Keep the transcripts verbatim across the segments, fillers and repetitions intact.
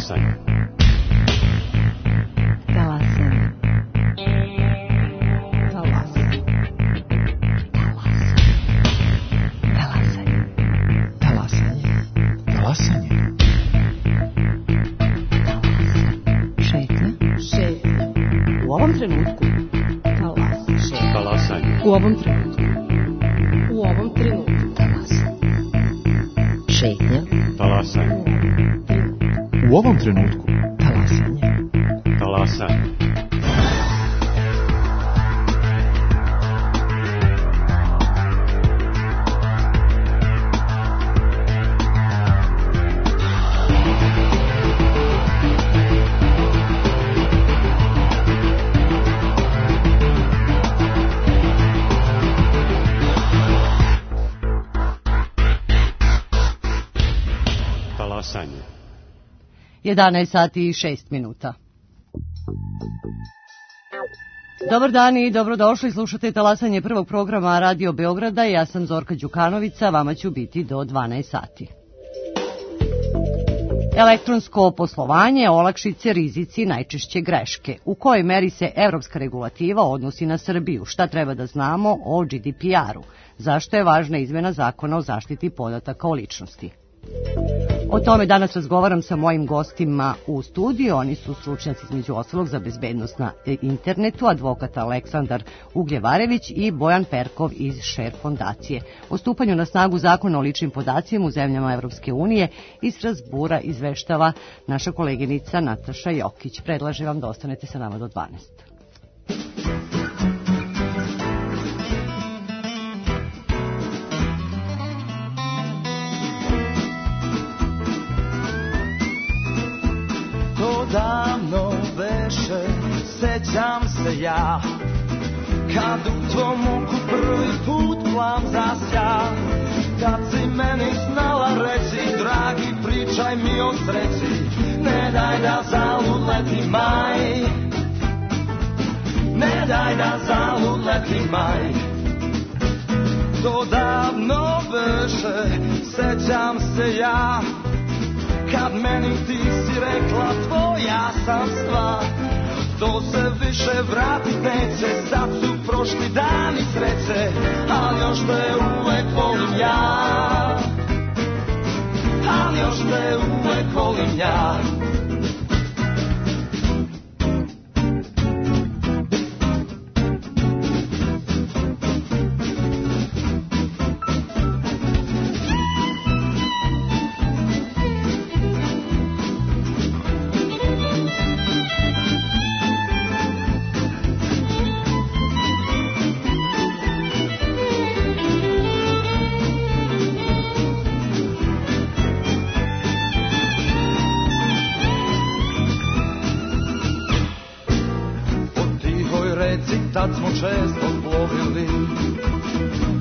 Talasanje. Talasanje. Talasanje. Talasanje. Talasanje. Talasanje. Šetnja. Šetnja. U ovom trenutku. Talasanje. Talasanje. U ovom trenutku. U ovom trenutku. Talasanje. Šetnja. Talasanje. U ovom trenutku. Talasanje. Talasanje. Talasanje. jedanaest sati i šest minuta. Dobar dan i dobrodošli, slušate Talasanje prvog programa Radio Beograda. Ja sam Zorka Đukanovica, vama ću biti do dvanaest sati. Elektronsko poslovanje, olakšice, rizici, najčešće greške. U kojoj meri se evropska regulativa odnosi na Srbiju? Šta treba da znamo o G D P R-u? Zašto je važna izmena zakona o zaštiti podataka o ličnosti? O tome danas razgovaram sa mojim gostima u studiju. Oni su stručnjaci između ostalog za bezbednost na internetu, advokat Aleksandar Ugljevarević i Bojan Perkov iz Share fondacije. O stupanju na snagu zakona o ličnim podacima u zemljama Evropske unije iz Strazbura izveštava naša koleginica Nataša Jokić. Predlažem vam da ostanete sa nama do dvanaest. Davno veše, sećam se ja, kad u tvom oku prvi put plam zasja. Kad si meni znala reći, dragi, pričaj mi o sreći, ne daj da zalud leti maj, ne daj da zalud leti maj. To davno veše, sećam se ja, kad meni ti si rekla tvoja sam stvar. To se više vratit neće, sad su prošli dani sreće, ali još te uvek volim ja, ali još te uvek volim ja. Tad smo često plovili,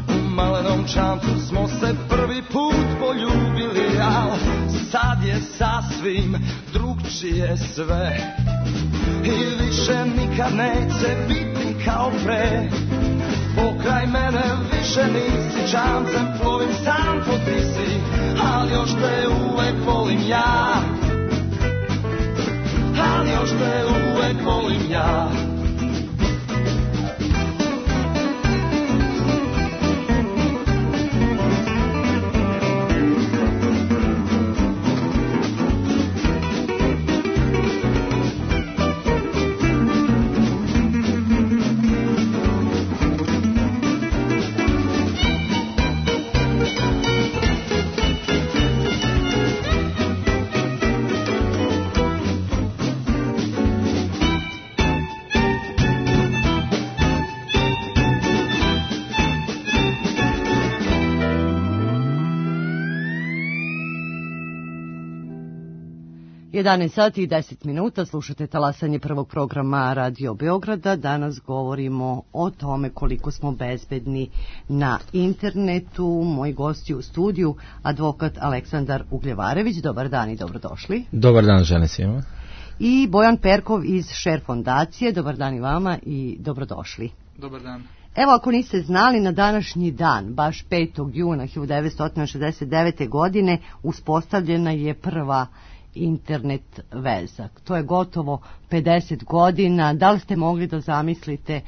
u malenom čamcu smo se prvi put poljubili, al sad je sasvim drugčije sve i više nikad neće biti kao pre. Pokraj mene više nisi, čamcem plovim sam po tisi, ali još te uvek volim ja, ali još te uvek volim ja. jedanaest sati i deset minuta, slušate Talasanje prvog programa Radio Beograda. Danas govorimo o tome koliko smo bezbedni na internetu. Moji gosti u studiju, advokat Aleksandar Ugljevarević. Dobar dan i dobrodošli. Dobar dan, žene svima. I Bojan Perkov iz Share fondacije. Dobar dan i vama i dobrodošli. Dobar dan. Evo, ako niste znali, na današnji dan, baš petog juna hiljadu devetsto šezdeset devete. godine, uspostavljena je prva internet veza. To je gotovo pedeset godina. Da li ste mogli da zamislite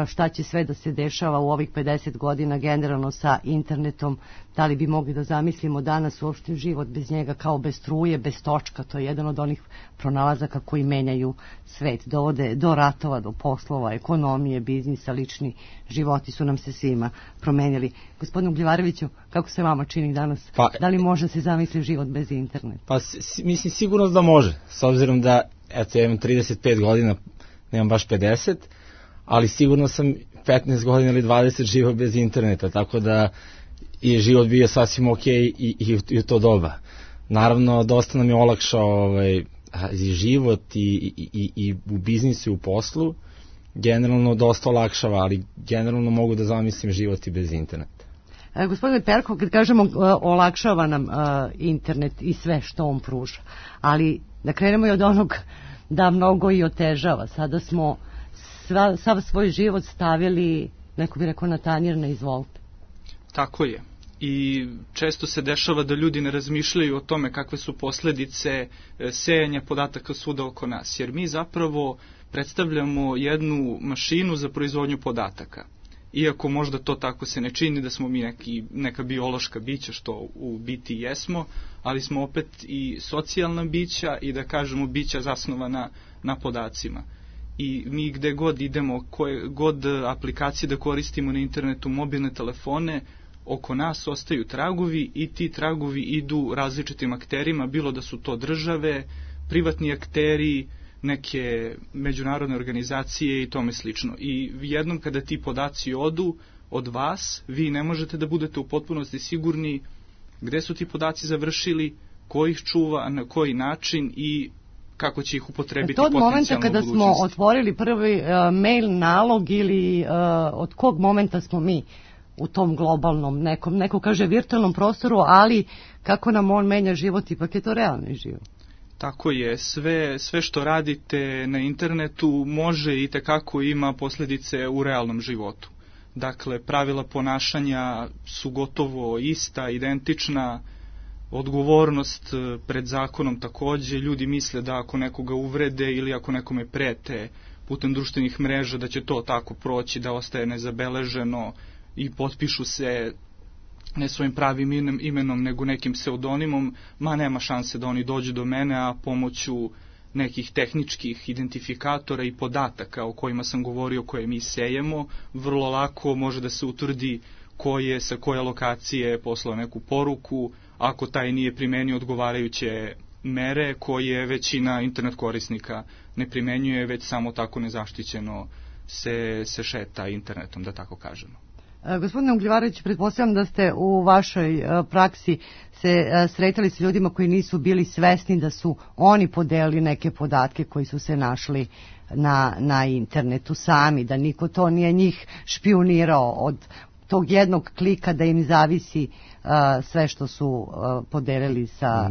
šta će sve da se dešava u ovih pedeset godina generalno sa internetom? Da li bi mogli da zamislimo danas uopšte život bez njega, kao bez struje, bez točka? To je jedan od onih pronalazaka koji menjaju svet, dovode do ratova, do poslova, ekonomije, biznisa, lični životi su nam se svima promenili. Gospodinu Ugljevareviću, kako se vama čini danas? Pa, da li može se zamisliti život bez interneta? Pa s, mislim sigurno da može, s obzirom da eto, ja imam trideset pet godina, nemam baš pedeset, ali sigurno sam petnaest godina ili dvadeset živao bez interneta, tako da je život bio sasvim ok i, i, i u to doba. Naravno, dosta nam je olakšao ovaj, i život i, i, i, i u biznisu i u poslu, generalno dosta olakšava, ali generalno mogu da zamislim život i bez interneta. E, gospodine Perko, kad kažemo uh, olakšava nam uh, internet i sve što on pruža, ali da krenemo i od onog da mnogo i otežava. Sada smo sva, sav svoj život stavili, neko bi rekao, na tanjir, na izvolite. Tako je. I često se dešava da ljudi ne razmišljaju o tome kakve su posledice sejanja podataka svuda oko nas, jer mi zapravo predstavljamo jednu mašinu za proizvodnju podataka. Iako možda to tako se ne čini, da smo mi neki, neka biološka bića, što u biti jesmo, ali smo opet i socijalna bića i da kažemo bića zasnovana na podacima. I mi gde god idemo, koje god aplikacije da koristimo na internetu, mobilne telefone, oko nas ostaju tragovi i ti tragovi idu različitim akterima, bilo da su to države, privatni akteri, neke međunarodne organizacije i tome slično. I jednom kada ti podaci odu od vas, vi ne možete da budete u potpunosti sigurni gde su ti podaci završili, ko ih čuva, na koji način i kako će ih upotrebiti potencijalno u budućnosti. To od momenta kada smo otvorili prvi uh, mail nalog ili uh, od kog momenta smo mi u tom globalnom, nekom, neko kaže virtualnom prostoru, ali kako nam on menja život, ipak je to realni život. Tako je, sve, sve što radite na internetu može i tekako ima posljedice u realnom životu. Dakle, pravila ponašanja su gotovo ista, identična, odgovornost pred zakonom takođe. Ljudi misle da ako nekoga uvrede ili ako nekome prete putem društvenih mreža da će to tako proći, da ostaje nezabeleženo i potpišu se ne svojim pravim imenom nego nekim pseudonimom, ma nema šanse da oni dođu do mene, a pomoću nekih tehničkih identifikatora i podataka o kojima sam govorio, koje mi sejemo, vrlo lako može da se utvrdi ko je sa koje lokacije poslao neku poruku, ako taj nije primenio odgovarajuće mere koje većina internet korisnika ne primenjuje, već samo tako nezaštićeno se, se šeta internetom, da tako kažemo. Gospodine Ugljevarević, pretpostavljam da ste u vašoj praksi se sretali s ljudima koji nisu bili svesni da su oni podelili neke podatke koji su se našli na, na internetu sami, da niko to nije njih špijunirao od tog jednog klika da im zavisi uh, sve što su uh, podelili sa,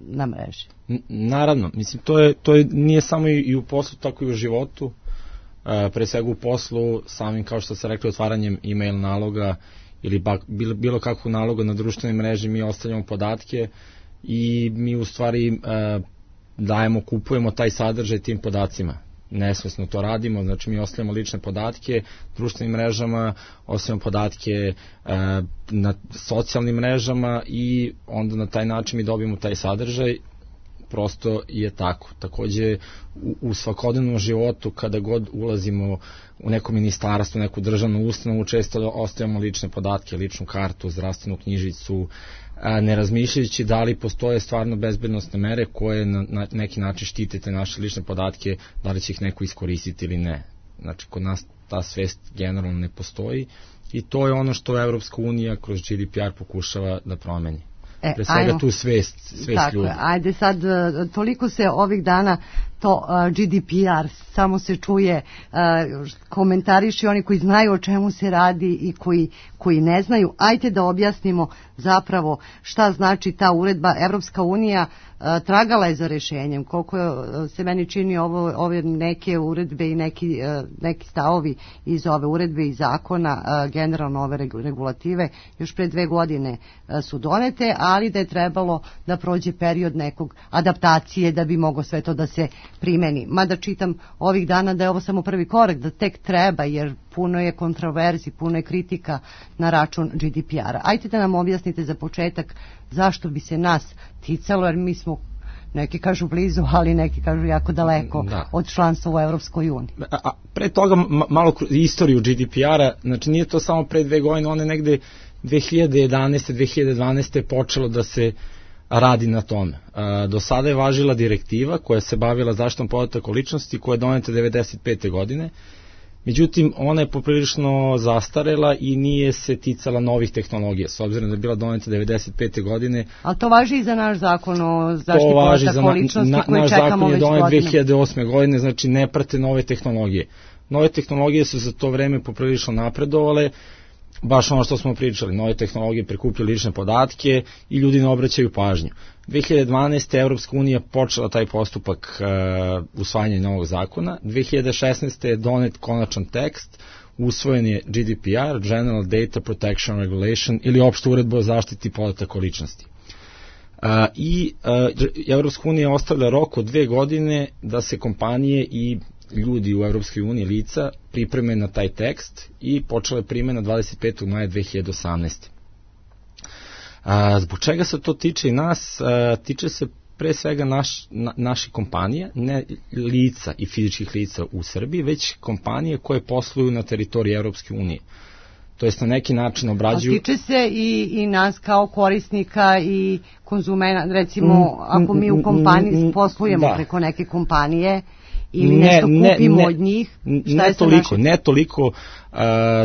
na mreži. Naravno, mislim, to, je, to je, nije samo i u poslu, tako i u životu. Uh, pre svega u poslu, samim, kao što ste rekli, otvaranjem e-mail naloga ili bak, bilo, bilo kakvog naloga na društvenoj mreži, mi ostavljamo podatke i mi u stvari uh, dajemo, kupujemo taj sadržaj tim podacima. Nesvesno to radimo, znači mi ostavljamo lične podatke društvenim mrežama, ostavljamo podatke uh, na socijalnim mrežama i onda na taj način mi dobijemo taj sadržaj. Prosto je tako. Takođe u, u svakodnevnom životu kada god ulazimo u neko ministarstvo, neku državnu ustanovu, često ostavljamo lične podatke, ličnu kartu, zdravstvenu knjižicu, ne razmišljajući da li postoje stvarno bezbednostne mere koje na, na neki način štite te naše lične podatke, da li će ih neko iskoristiti ili ne. Znači, kod nas ta svest generalno ne postoji i to je ono što Evropska unija kroz G D P R pokušava da promeni. E, pre svega ajmo, tu svest, svest tako ljudi. Tako je, ajde sad, toliko se ovih dana to uh, G D P R samo se čuje, uh, komentariši oni koji znaju o čemu se radi i koji, koji ne znaju. Ajde da objasnimo zapravo šta znači ta uredba. Evropska unija a, tragala je za rešenjem, koliko je, se meni čini ovo, ove neke uredbe i neki, a, neki stavovi iz ove uredbe i zakona, a, generalno ove regulative, još pre dve godine a, su donete, ali da je trebalo da prođe period nekog adaptacije da bi moglo sve to da se primeni. Mada čitam ovih dana da je ovo samo prvi korak, da tek treba, jer puno je kontroverzi, puno je kritika na račun G D P R-a. Ajde da nam objasnite za početak zašto bi se nas ticalo, jer mi smo, neki kažu blizu, ali neki kažu jako daleko da. od članstva u Evropskoj uniji. A, a pre toga malo istoriju G D P R-a, znači nije to samo pre dve godine, one negde dve hiljade jedanaeste dve hiljade dvanaeste počelo da se radi na tome. A, do sada je važila direktiva koja se bavila zaštitom podataka o ličnosti, koja je doneta devedeset pete godine. Međutim, ona je poprilično zastarela i nije se ticala novih tehnologija, s obzirom da je bila doneta devedeset pete godine. Ali to važi i za naš zakon o zaštiti podataka o ličnosti na, koji čekamo već godinama. Naš zakon je donet dve hiljade osme godine, znači ne prate nove tehnologije. Nove tehnologije su za to vreme poprilično napredovale, baš ono što smo pričali, nove tehnologije prikupljaju lične podatke i ljudi ne obraćaju pažnju. dve hiljade dvanaeste. Evropska unija počela taj postupak uh, usvajanja novog zakona. dve hiljade šesnaeste. je donet konačan tekst, usvojen je G D P R, General Data Protection Regulation, ili opšta uredba o zaštiti podataka o ličnosti. Uh, I uh, Evropska unija ostavlja rok od dve godine da se kompanije i ljudi u Evropskoj uniji, lica, pripreme na taj tekst i počela je primjena dvadeset petog maja dve hiljade osamnaeste. A, zbog čega se to tiče i nas? A, tiče se pre svega naš, na, naših kompanija, ne lica i fizičkih lica u Srbiji, već kompanije koje posluju na teritoriji Evropske unije. To jest na neki način obrađuju... A tiče se i, i nas kao korisnika i konzumena, recimo ako mi u kompaniji poslujemo da. preko neke kompanije ili ne, nešto kupimo ne, ne, od njih, šta ne je toliko, naši... ne toliko, uh,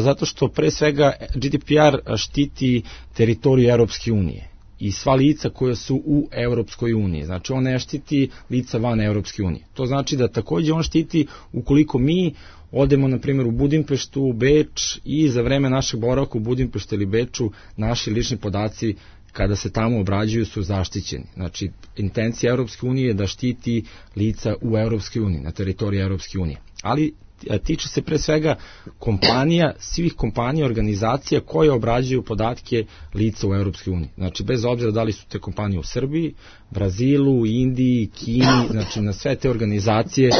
zato što pre svega G D P R štiti teritoriju Evropske unije i sva lica koja su u Evropskoj uniji. Znači on ne štiti lica van Evropske unije. To znači da takođe on štiti ukoliko mi odemo na primjer u Budimpeštu, u Beč i za vreme našeg boravka u Budimpeštu ili Beču naši lični podaci kada se tamo obrađuju su zaštićeni. Znači, intencija Evropske unije je da štiti lica u Evropskoj uniji, na teritoriji Evropske unije. Ali tiče se pre svega kompanija, svih kompanija, organizacija koje obrađuju podatke lica u Evropskoj uniji. Znači, bez obzira da li su te kompanije u Srbiji, Brazilu, Indiji, Kini, znači na sve te organizacije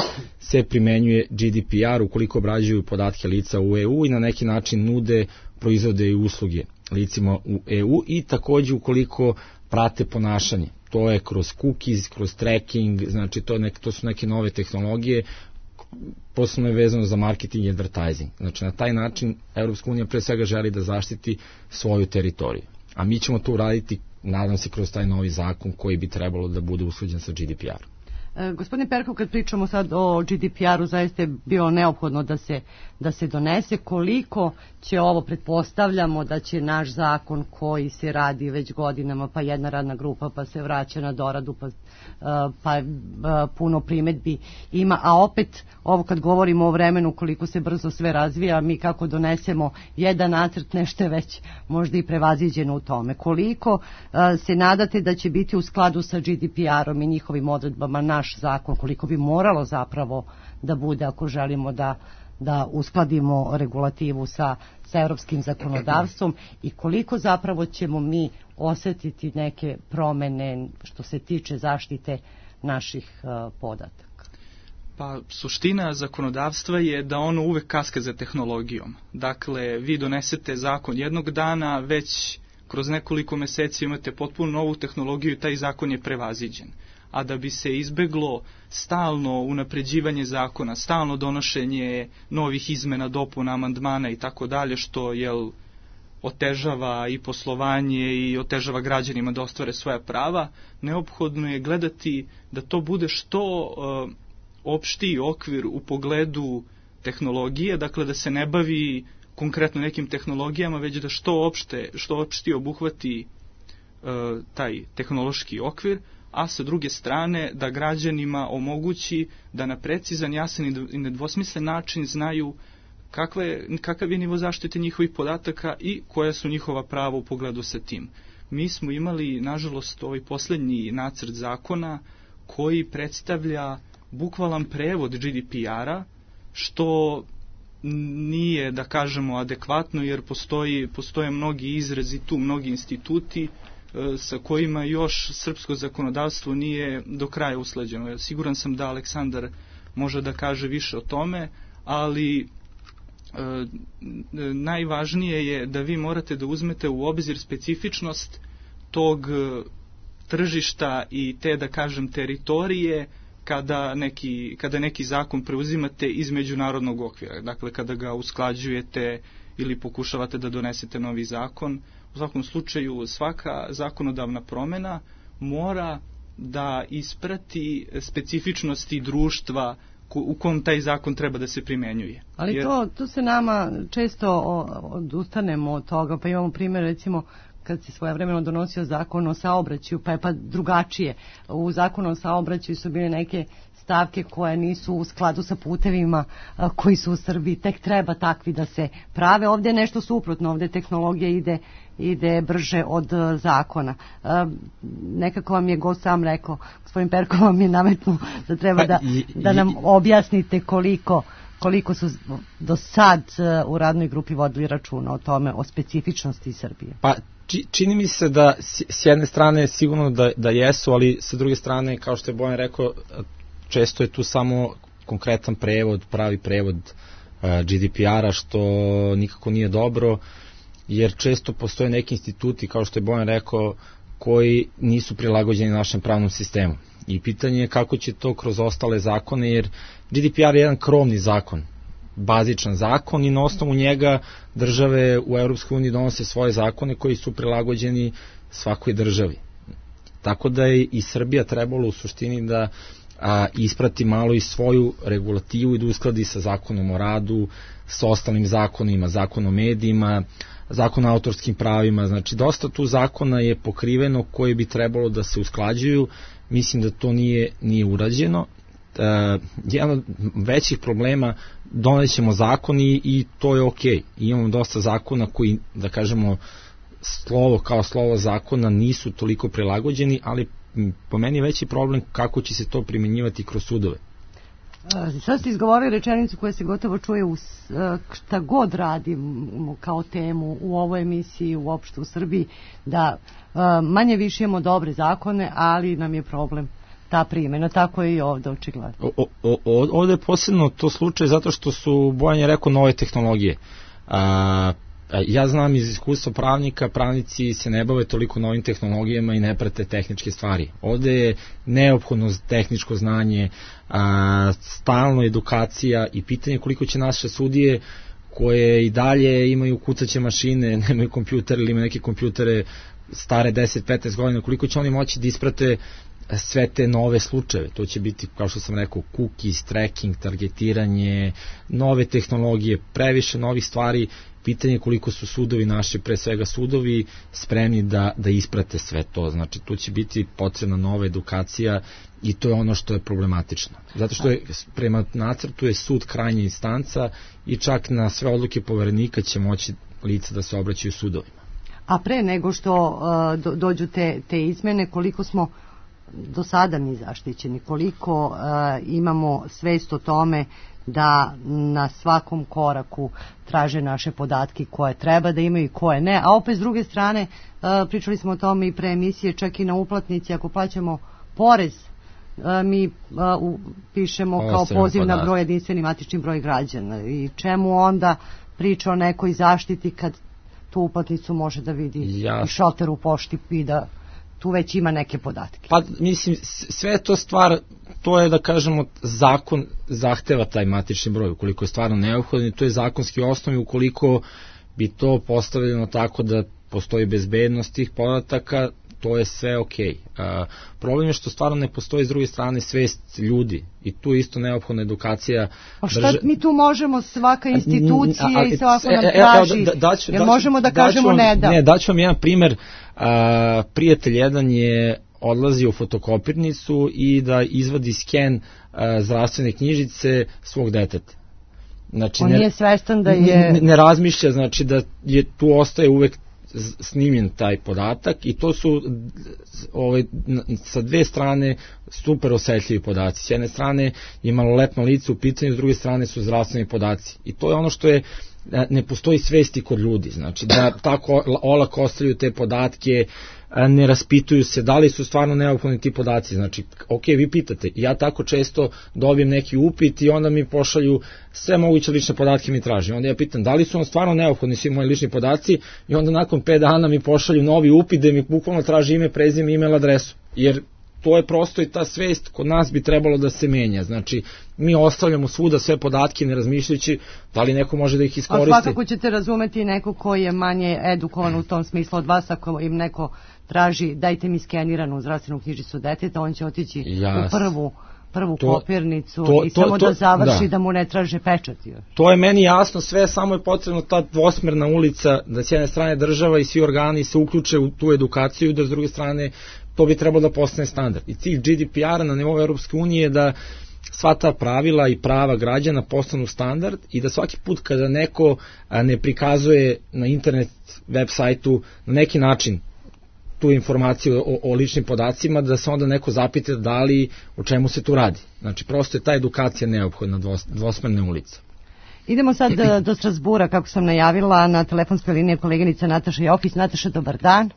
se primenjuje G D P R ukoliko obrađuju podatke lica u E U i na neki način nude proizvode i usluge licima u E U i takođe ukoliko prate ponašanje. To je kroz cookies, kroz tracking, znači to, nek, to su neke nove tehnologije, posebno je vezano za marketing i advertising. Znači na taj način Evropska unija pre svega želi da zaštiti svoju teritoriju. A mi ćemo to uraditi, nadam se, kroz taj novi zakon koji bi trebalo da bude usklađen sa G D P R. E, gospodine Perkov, kad pričamo sad o G D P R-u, zaista je bilo neophodno da se, da se donese. Koliko će ovo, pretpostavljamo da će naš zakon koji se radi već godinama, pa jedna radna grupa, pa se vraća na doradu, pa, pa puno primetbi ima, a opet ovo kad govorimo o vremenu koliko se brzo sve razvija, mi kako donesemo jedan nacrt, nešto je već možda i prevaziđeno u tome. Koliko se nadate da će biti u skladu sa G D P R-om i njihovim odredbama naš zakon, koliko bi moralo zapravo da bude ako želimo da da uskladimo regulativu sa, sa evropskim zakonodavstvom i koliko zapravo ćemo mi osetiti neke promene što se tiče zaštite naših uh, podataka? Pa suština zakonodavstva je da ono uvek kaska za tehnologijom. Dakle, vi donesete zakon jednog dana, već kroz nekoliko meseci imate potpuno novu tehnologiju i taj zakon je prevaziđen. A da bi se izbeglo stalno unapređivanje zakona, stalno donošenje novih izmena, dopuna, amandmana i tako dalje, što jel, otežava i poslovanje i otežava građanima da ostvare svoja prava, neophodno je gledati da to bude što uh, opštiji okvir u pogledu tehnologije, dakle da se ne bavi konkretno nekim tehnologijama, već da što opšte, što opšti obuhvati uh, taj tehnološki okvir, a sa druge strane da građanima omogući da na precizan, jasan i nedvosmislen način znaju kakva je, kakav je nivo zaštite njihovih podataka i koja su njihova prava u pogledu sa tim. mi smo imali, nažalost, ovaj posljednji nacrt zakona koji predstavlja bukvalan prevod G D P R-a, što nije, da kažemo, adekvatno, jer postoji, postoje mnogi izrazi tu, mnogi instituti e, sa kojima još srpsko zakonodavstvo nije do kraja usklađeno. Siguran sam da Aleksandar može da kaže više o tome, ali e, najvažnije je da vi morate da uzmete u obzir specifičnost tog tržišta i te, da kažem, teritorije kada neki, kada neki zakon preuzimate iz međunarodnog okvira. Dakle, kada ga usklađujete ili pokušavate da donesete novi zakon. U svakom slučaju, svaka zakonodavna promjena mora da isprati specifičnosti društva u kom taj zakon treba da se primenjuje. Ali Jer... to, to se nama često odustanemo od toga, pa imamo primjer, recimo, kad se svojevremeno donosio zakon o saobraćaju, pa je pa drugačije. U zakonu o saobraćaju su bile neke stavke koje nisu u skladu sa putevima a, koji su u Srbiji. Tek treba takvi da se prave. Ovdje je nešto suprotno. Ovdje tehnologija ide, ide brže od a, zakona. A, nekako vam je gost sam rekao, gospodin Perko vam je nametnuo da treba da, da nam objasnite koliko koliko su do sad u radnoj grupi vodili računa o tome, o specifičnosti Srbije. Pa čini mi se da s jedne strane sigurno da, da jesu, ali sa druge strane, kao što je Bojan rekao, često je tu samo konkretan prevod, pravi prevod uh, G D P R-a, što nikako nije dobro, jer često postoje neki instituti, kao što je Bojan rekao, koji nisu prilagođeni našem pravnom sistemu. I pitanje je kako će to kroz ostale zakone, jer G D P R je jedan krovni zakon, bazičan zakon, i na osnovu njega države u Europskoj uniji donose svoje zakone koji su prilagođeni svakoj državi. Tako da je i Srbija trebalo u suštini da a, isprati malo i svoju regulativu i da uskladi sa zakonom o radu, sa ostalim zakonima, zakon o medijima, zakon o autorskim pravima. Znači, dosta tu zakona je pokriveno koji bi trebalo da se usklađuju. Mislim da to nije, nije urađeno. Uh, jedan od većih problema, donećemo zakon i, i to je ok. Imamo dosta zakona koji, da kažemo, slovo kao slovo zakona nisu toliko prilagođeni, ali po meni je veći problem kako će se to primjenjivati kroz sudove. Sad ste izgovorili rečenicu koja se gotovo čuje u šta god radimo kao temu u ovoj emisiji, uopšte u Srbiji, da manje više imamo dobre zakone, ali nam je problem ta primjena. Tako je i ovdje očigledno. O, o, ovdje je posebno to slučaj zato što su, Bojan je rekao, nove tehnologije. A, ja znam iz iskustva pravnika, pravnici se ne bave toliko novim tehnologijama i ne prate tehničke stvari. Ovdje je neophodno tehničko znanje, a, stalno edukacija i pitanje koliko će naše sudije koje i dalje imaju kucaće mašine, nemaju kompjuter ili imaju neke kompjutere stare deset do petnaest godina, koliko će oni moći da isprate sve te nove slučajeve. To će biti, kao što sam rekao, cookies, tracking, targetiranje, nove tehnologije, previše novih stvari. Pitanje je koliko su sudovi naši, pre svega sudovi, spremni da, da isprate sve to. Znači, tu će biti potrebna nova edukacija i to je ono što je problematično. Zato što je, prema nacrtu je sud krajnja instanca i čak na sve odluke poverenika će moći lica da se obraćaju sudovima. A pre nego što uh, do, dođu te, te izmene, koliko smo do sada mi zaštićeni, koliko uh, imamo svest o tome da na svakom koraku traže naše podatke koje treba da imaju i koje ne, a opet s druge strane uh, pričali smo o tome i pre emisije, čak i na uplatnici ako plaćamo porez, uh, mi uh, u, pišemo o, kao poziv na broj, jedinstveni matični broj građana, i čemu onda priča o nekoj zaštiti kad tu uplatnicu može da vidi ja. i šalter u pošti i da tu već ima neke podatke. Pa mislim, sve je to stvar, to je da kažemo, zakon zahteva taj matični broj, ukoliko je stvarno neophodan, to je zakonski osnov, ukoliko bi to postavljeno tako da postoji bezbednost tih podataka, to je sve okej. Okay. Problem je što stvarno ne postoji s druge strane svest ljudi i tu isto neophodna edukacija. A šta drže... mi tu možemo, svaka institucija a, a, i svako nam traži, da, da, da, jer možemo da kažemo vam, ne da. Ne, daću vam jedan primer. A, prijatelj jedan je odlazio u fotokopirnicu i da izvadi sken a, zdravstvene knjižice svog deteta. Znači, on ne, nije svestan da je... Ne, ne razmišlja, znači da je tu ostaje uvek snimljen taj podatak i to su ovaj, sa dve strane super osetljivi podaci. S jedne strane je maloletno lice u pitanju, s druge strane su zdravstveni podaci. I to je ono što je, ne postoji svesti kod ljudi, znači da tako olako ostavljaju te podatke, ne raspituju se da li su stvarno neophodni ti podaci. Znači, ok, vi pitate, ja tako često dobijem neki upit i onda mi pošalju sve moguće lične podatke mi traži. Onda ja pitam da li su on stvarno neophodni svi moji lični podaci i onda nakon pet dana mi pošalju novi upit da mi bukvalno traži ime, prezime, email adresu. Jer to je prosto i ta svest kod nas bi trebalo da se menja. Znači, mi ostavljamo svuda sve podatke ne razmišljajući da li neko može da ih iskoristi. A svakako ćete razumeti neko ko je manje edukovan u tom smislu od vas, ako im neko traži dajte mi skeniranu zdravstvenu knjižicu deteta, on će otići Jas. u prvu prvu to, kopirnicu to, i to, samo to, da završi da. da mu ne traže pečat. To je meni jasno sve, samo je potrebno ta dvosmerna ulica, da s jedne strane država i svi organi se uključe u tu edukaciju, da s druge strane to bi trebalo da postane standard. I cilj G D P R-a na nivou Europske unije je da sva ta pravila i prava građana postanu standard i da svaki put kada neko ne prikazuje na internet web sajtu na neki način tu informaciju o, o ličnim podacima, da se onda neko zapita da li, o čemu se tu radi. Znači, prosto je ta edukacija neophodna, dvosmerne ulice. Idemo sad do Strasbura, kako sam najavila, na telefonskoj liniji koleginica Nataša Jokić. Nataša, dobar dan.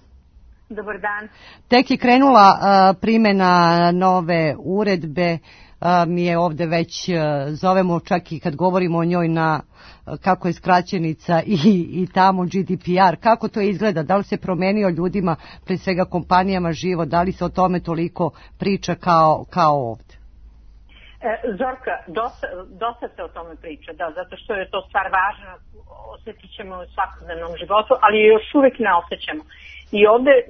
Dobar dan. Tek je krenula uh, primjena nove uredbe, uh, mi je ovde već uh, zovemo čak i kad govorimo o njoj na uh, kako je skraćenica i, i tamo G D P R, kako to izgleda, da li se promenio ljudima, pre svega kompanijama život, da li se o tome toliko priča kao, kao ovde? Zorka, dosta, dosta se o tome priča, da, zato što je to stvar važna, osjetit ćemo u svakodnevnom životu, ali još uvek ne osjećamo. I ovde e,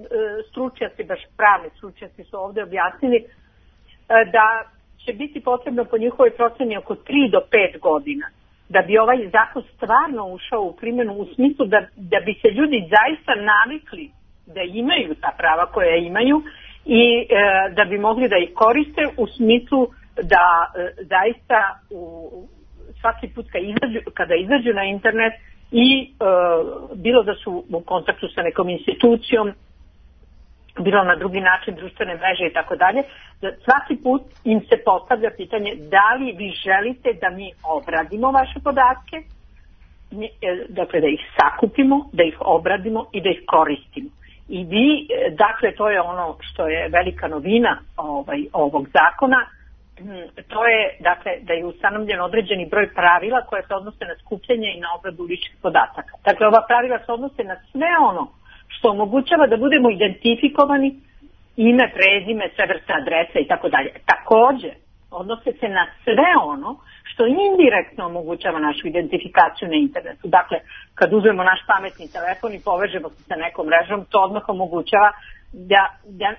stručnjaci, baš pravni stručnjaci su ovde objasnili e, da će biti potrebno po njihovoj proceni oko tri do pet godina da bi ovaj zakon stvarno ušao u primjenu, u smislu da, da bi se ljudi zaista navikli da imaju ta prava koja imaju i e, da bi mogli da ih koriste u smislu da e, zaista u, svaki put kada izađu, kada izađu na internet i e, bilo da su u kontaktu sa nekom institucijom, bilo na drugi način društvene mreže i tako dalje, da svaki put im se postavlja pitanje da li vi želite da mi obradimo vaše podatke, dakle da ih sakupimo, da ih obradimo i da ih koristimo. I vi, dakle to je ono što je velika novina ovaj, ovog zakona, to je dakle da je ustanovljen određeni broj pravila koje se odnose na skupljanje i na obradu ličnih podataka. Dakle, ova pravila se odnose na sve ono što omogućava da budemo identifikovani, ime, prezime, sve vrste adrese i tako dalje. Takođe, odnose se na sve ono što indirektno omogućava našu identifikaciju na internetu. Dakle, kad uzmemo naš pametni telefon i povežemo se sa nekom mrežom, to odmah omogućava Da, da,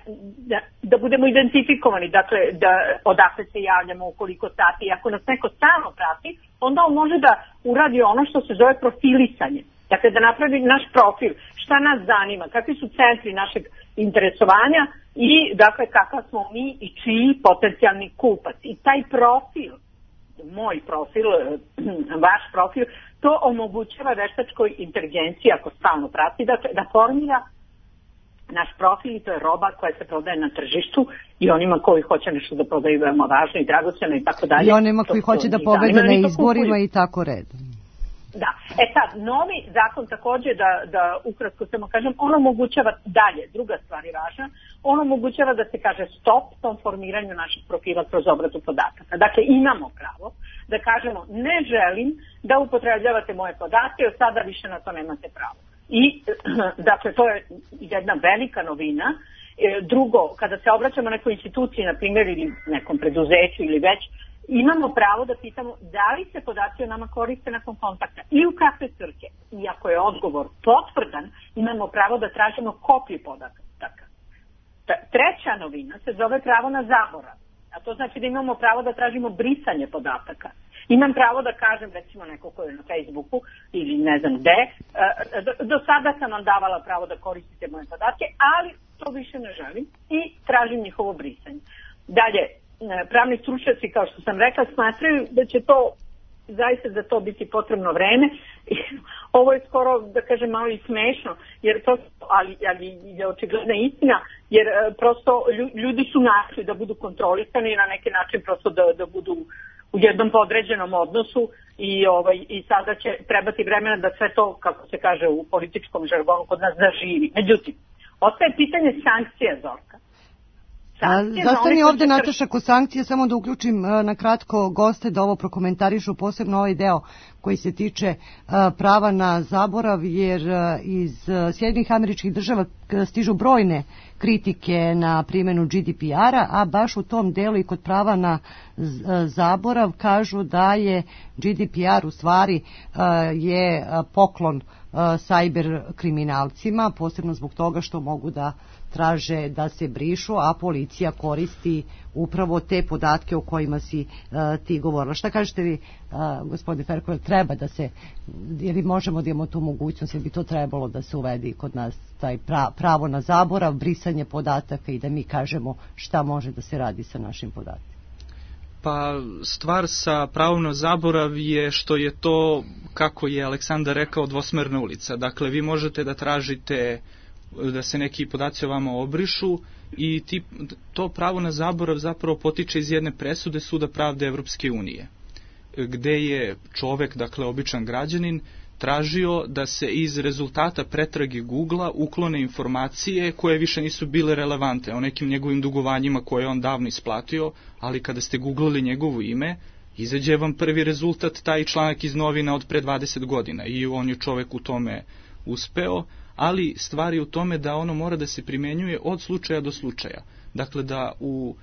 da, da budemo identifikovani, dakle da odakle se javljamo, u koliko sati. I ako nas neko stalno prati, onda on može da uradi ono što se zove profilisanje. Dakle, da napravi naš profil, šta nas zanima, kakvi su centri našeg interesovanja i dakle kakav smo mi i čiji potencijalni kupac. I taj profil, moj profil, vaš profil, to omogućava veštačkoj inteligenciji, ako stalno prati, dakle, da formira naš profil i to je roba koja se prodaje na tržištu i onima koji hoće nešto da prodaju veoma važno i dragoceno i tako dalje. I onima koji to, hoće da pobede na izborima i tako redom. Da. E sad, novi zakon takođe, da, da ukratko samo kažem, on omogućava dalje, druga stvar je važna, on omogućava da se kaže stop tom formiranju naših profila kroz obradu podataka. Dakle, imamo pravo da kažemo ne želim da upotrebljavate moje podatke, od sada više na to nemate pravo. I, dakle, to je jedna velika novina. Drugo, kada se obraćamo nekoj instituciji, na primjer, ili nekom preduzeću ili već, imamo pravo da pitamo da li se podaci o nama koriste nakon kontakta i u kakve svrhe. I ako je odgovor potvrdan, imamo pravo da tražimo kopiju podataka. Treća novina se zove pravo na zaborav. A to znači da imamo pravo da tražimo brisanje podataka. Imam pravo da kažem, recimo neko ko je na Facebooku ili ne znam gde, do, do sada sam vam davala pravo da koristite moje podatke, ali to više ne želim i tražim njihovo brisanje. Dalje, pravni stručnjaci, kao što sam rekla, smatraju da će to zaista za to biti potrebno vreme. Ovo je skoro, da kažem, malo i smešno, jer prosto, ali, ali je očigledna istina, jer prosto ljudi su našli da budu kontrolisani na neki način, prosto da, da budu u jednom podređenom odnosu i, ovaj, i sada će trebati vremena da sve to, kako se kaže u političkom žargonu, kod nas zaživi. Međutim, ostaje pitanje sankcija, Zorka. Zastani ovde, Nataša, ko sankcije, samo da uključim na kratko goste da ovo prokomentarišu, posebno ovaj deo koji se tiče prava na zaborav, jer iz Sjedinjenih Američkih Država stižu brojne kritike na primjenu G D P R-a, a baš u tom delu i kod prava na zaborav kažu da je G D P R u stvari je poklon sajber kriminalcima, posebno zbog toga što mogu da traže da se brišu, a policija koristi upravo te podatke o kojima si uh, ti govorila. Šta kažete vi, uh, gospodine Ferko, treba da se, ili možemo da imamo tu mogućnost, ili bi to trebalo da se uvedi kod nas taj pra, pravo na zaborav, brisanje podataka i da mi kažemo šta može da se radi sa našim podacima? Pa stvar sa pravom na zaborav je što je to, kako je Aleksandar rekao, dvosmerna ulica. Dakle, vi možete da tražite da se neki podaci o vama obrišu i ti, to pravo na zaborav zapravo potiče iz jedne presude Suda pravde Evropske unije, gde je čovek, dakle običan građanin, tražio da se iz rezultata pretrage Googlea uklone informacije koje više nisu bile relevante o nekim njegovim dugovanjima koje je on davno isplatio, ali kada ste googlali njegovo ime, izađe vam prvi rezultat taj članak iz novina od pre dvadeset godina i on je čovek u tome uspeo, ali stvar je u tome da ono mora da se primenjuje od slučaja do slučaja. Dakle, da u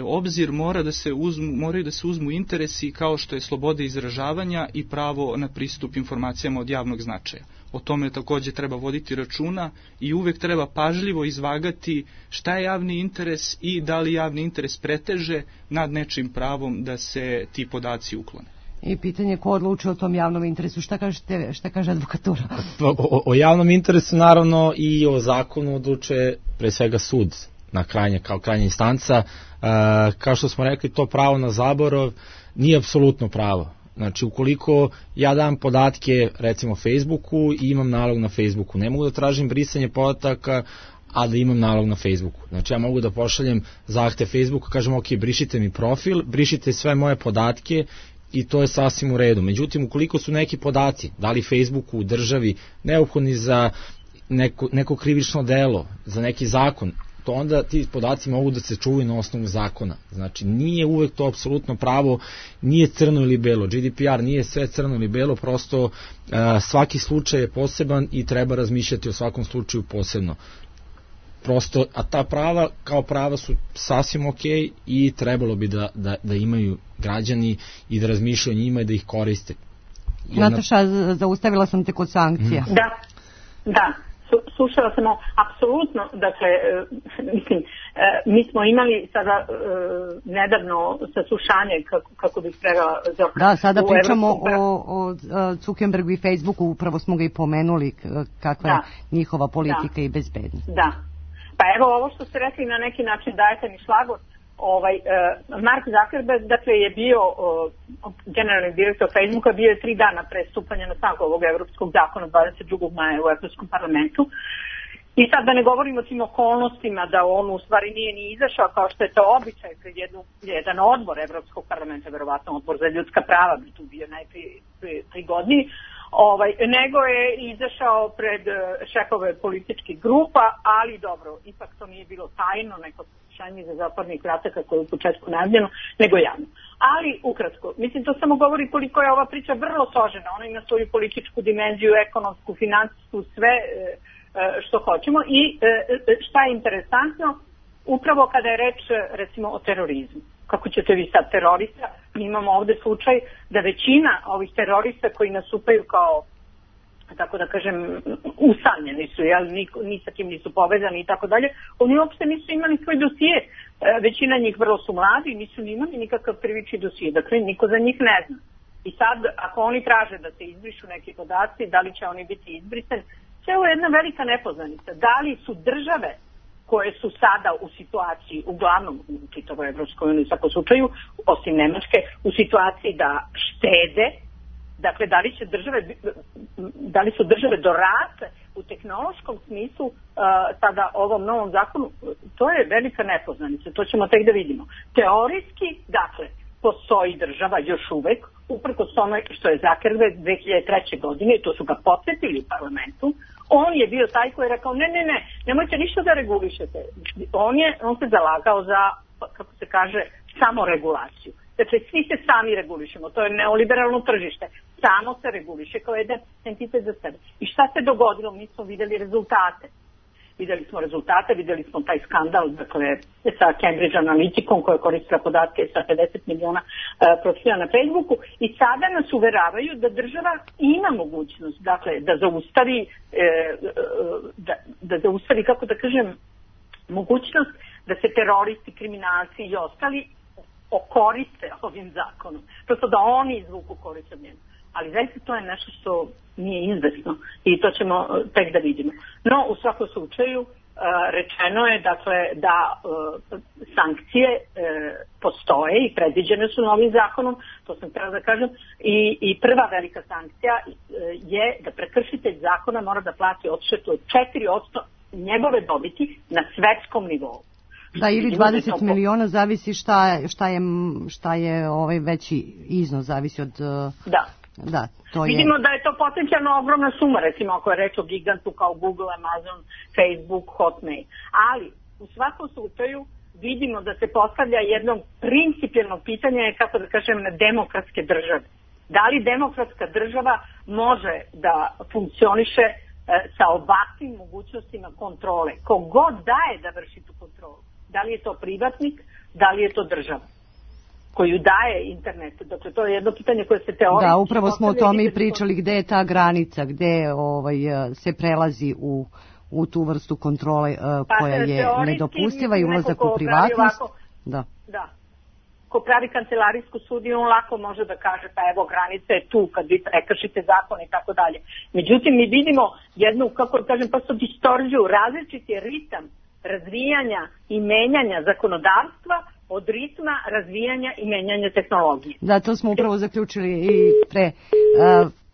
obzir mora da se uzmu, moraju da se uzmu interesi kao što je sloboda izražavanja i pravo na pristup informacijama od javnog značaja. O tome takođe treba voditi računa i uvek treba pažljivo izvagati šta je javni interes i da li javni interes preteže nad nečim pravom da se ti podaci uklone. I pitanje ko odlučuje o tom javnom interesu, šta kažete, šta kaže advokatura? O, o javnom interesu naravno i o zakonu odlučuje pre svega sud na krajnje, kao krajnja instanca. E, kao što smo rekli, to pravo na zaborav nije apsolutno pravo. Znači, ukoliko ja dam podatke, recimo Facebooku, i imam nalog na Facebooku, ne mogu da tražim brisanje podataka, a da imam nalog na Facebooku. Znači, ja mogu da pošaljem zahtev Facebooku, kažem, ok, brišite mi profil, brišite sve moje podatke, i to je sasvim u redu. Međutim, ukoliko su neki podaci, da li Facebooku, državi, neophodni za neko, neko krivično delo, za neki zakon, to onda ti podaci mogu da se čuvaju na osnovu zakona. Znači, nije uvek to apsolutno pravo, nije crno ili belo. G D P R nije sve crno ili belo, prosto uh, svaki slučaj je poseban i treba razmišljati o svakom slučaju posebno. Prosto, a ta prava kao prava su sasvim ok i trebalo bi da, da, da imaju građani i da razmišljaju o njima i da ih koriste. Jedna... Nataša, zaustavila sam te kod sankcija. Mm. Da, da. Slušala sam apsolutno, dakle, mislim, mi smo imali sada nedavno saslušanje, kako, kako bih prevela Zorka. Da, sada pričamo o, o Zuckerbergu i Facebooku, upravo smo ga i pomenuli, kakva da, je njihova politika da, i bezbednost. Da, pa evo ovo što ste rekli na neki način dajete mi šlagvort. Ovaj, uh, Mark Zuckerberg, dakle, je bio uh, generalni direktor Facebooka, bio je tri dana pre stupanja na snagu ovog evropskog zakona dvadeset drugog maja u Evropskom parlamentu. I sad da ne govorimo o tim okolnostima da on u stvari nije ni izašao kao što je to običaj pred jednu, jedan odbor Evropskog parlamenta, verovatno odbor za ljudska prava bi tu bio najprije prigodniji, ovaj, nego je izašao pred šefove političkih grupa, ali dobro, ipak to nije bilo tajno, neko slušanje za zatvornih vrata kako je u početku najavljeno, nego javno. Ali, ukratko, mislim, to samo govori koliko je ova priča vrlo složena, ona ima svoju političku dimenziju, ekonomsku, finansijsku, sve što hoćemo i šta je interesantno, upravo kada je reč recimo o terorizmu. Kako ćete vi sad terorista? Mi imamo ovde slučaj da većina ovih terorista koji nastupaju kao, tako da kažem, usamljeni su, jel, ni sa kim nisu povezani i tako dalje, oni uopšte nisu imali svoj dosije. Većina njih vrlo su mladi i nisu ni imali nikakav krivični dosije. Dakle, niko za njih ne zna. I sad, ako oni traže da se izbrišu neki podaci, da li će oni biti izbrisani, ovo je jedna velika nepoznanica. Da li su države koje su sada u situaciji, uglavnom u čitavoj Evropskoj uniji u svakom slučaju, osim Nemačke, u situaciji da štede Dakle, da li će države, da li su države dorasle u tehnološkom smislu uh, sada ovom novom zakonu, to je velika nepoznanica, to ćemo tek da vidimo. Teorijski, dakle, postoji država još uvek, uprkos tome što je Zuckerberg dve hiljade treće godine, i to su ga podsjetili u parlamentu, on je bio taj koji je rekao, ne, ne, ne, nemojte ništa da regulišete. On, je, on se zalagao za, kako se kaže, samoregulaciju. Dakle, svi se sami regulišemo, to je neoliberalno tržište, samo se reguliše kao jedan entitet za sebe. I šta se dogodilo? Mi smo videli rezultate. Videli smo rezultate, videli smo taj skandal, dakle, sa Cambridge Analyticom koja koristila podatke sa pedeset miliona uh, profila na Facebooku i sada nas uveravaju da država ima mogućnost, dakle, da zaustavi, uh, da, da zaustavi, kako da kažem, mogućnost da se teroristi, kriminalci i ostali okoriste ovim zakonom. Prosto da oni izvuku korist od njega. Ali zaista to je nešto što nije izvesno i to ćemo tek da vidimo. No, u svakom slučaju, rečeno je dakle da sankcije postoje i predviđene su novim zakonom, to sam htjela da kažem, i, i prva velika sankcija je da prekršitelj zakona mora da plati odštetu od četiri posto njegove dobiti na svetskom nivou. Da, ili dvadeset miliona, zavisi šta je, šta je, šta je ovaj veći iznos, zavisi od... Da. Da, to je... Vidimo da je to potencijalno ogromna suma, recimo ako je reč o gigantu kao Google, Amazon, Facebook, Hotmail. Ali, u svakom slučaju, vidimo da se postavlja jedno principijelno pitanje, kako da kažem, na demokratske države. Da li demokratska država može da funkcioniše e, sa ovakvim mogućnostima kontrole? Kogod daje da vrši tu kontrolu? Da li je to privatnik, da li je to država koju daje internet? Dakle, to je jedno pitanje koje se teoretski... Da, upravo smo o tome i pričali, gde je ta granica, gde ovaj, se prelazi u, u tu vrstu kontrole uh, koja je nedopustiva i ulazak u privatnost. Ovako, da. Da. Ko pravi kancelarijsku sudiju, on lako može da kaže, pa evo, granica je tu kad vi prekršite zakon i tako dalje. Međutim, mi vidimo jednu, kako da kažem, prosto distorziju, različiti ritam razvijanja i menjanja zakonodavstva od ritma razvijanja i menjanja tehnologije. Da, to smo upravo zaključili i pre,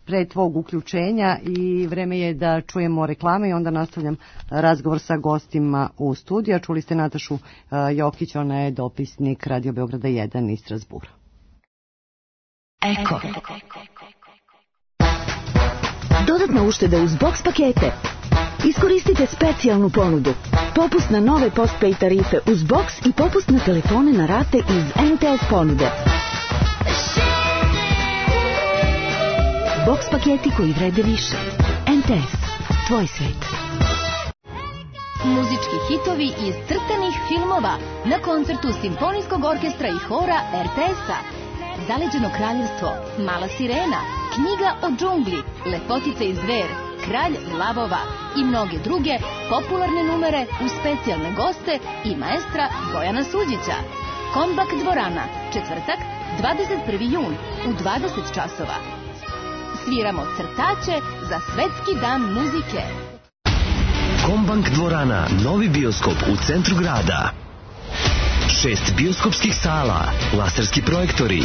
pre tvog uključenja i vreme je da čujemo reklame i onda nastavljam razgovor sa gostima u studiju. Čuli ste Natašu Jokić, ona je dopisnik Radio Beograda jedan iz Strasbura. Eko. Dodatna ušteda uz box pakete. Iskoristite specijalnu ponudu. Popust na nove postpaid tarife uz box i popust na telefone na rate iz en te es ponude. Box paketi koji vrede više. en te es. Tvoj svet. Muzički hitovi iz crtanih filmova na koncertu Simfonijskog orkestra i hora er te es-a. Zaleđeno kraljevstvo, Mala sirena, Knjiga o džungli, Lepotica i zver, Kralj lavova i mnoge druge popularne numere uz specijalne goste i maestra Bojana Suđića. Kombak dvorana, četvrtak, dvadeset prvi jun u dvadeset časova. Sviramo crtače za Svetski dan muzike. Kombank dvorana, novi bioskop u centru grada. Šest bioskopskih sala, laserski projektori,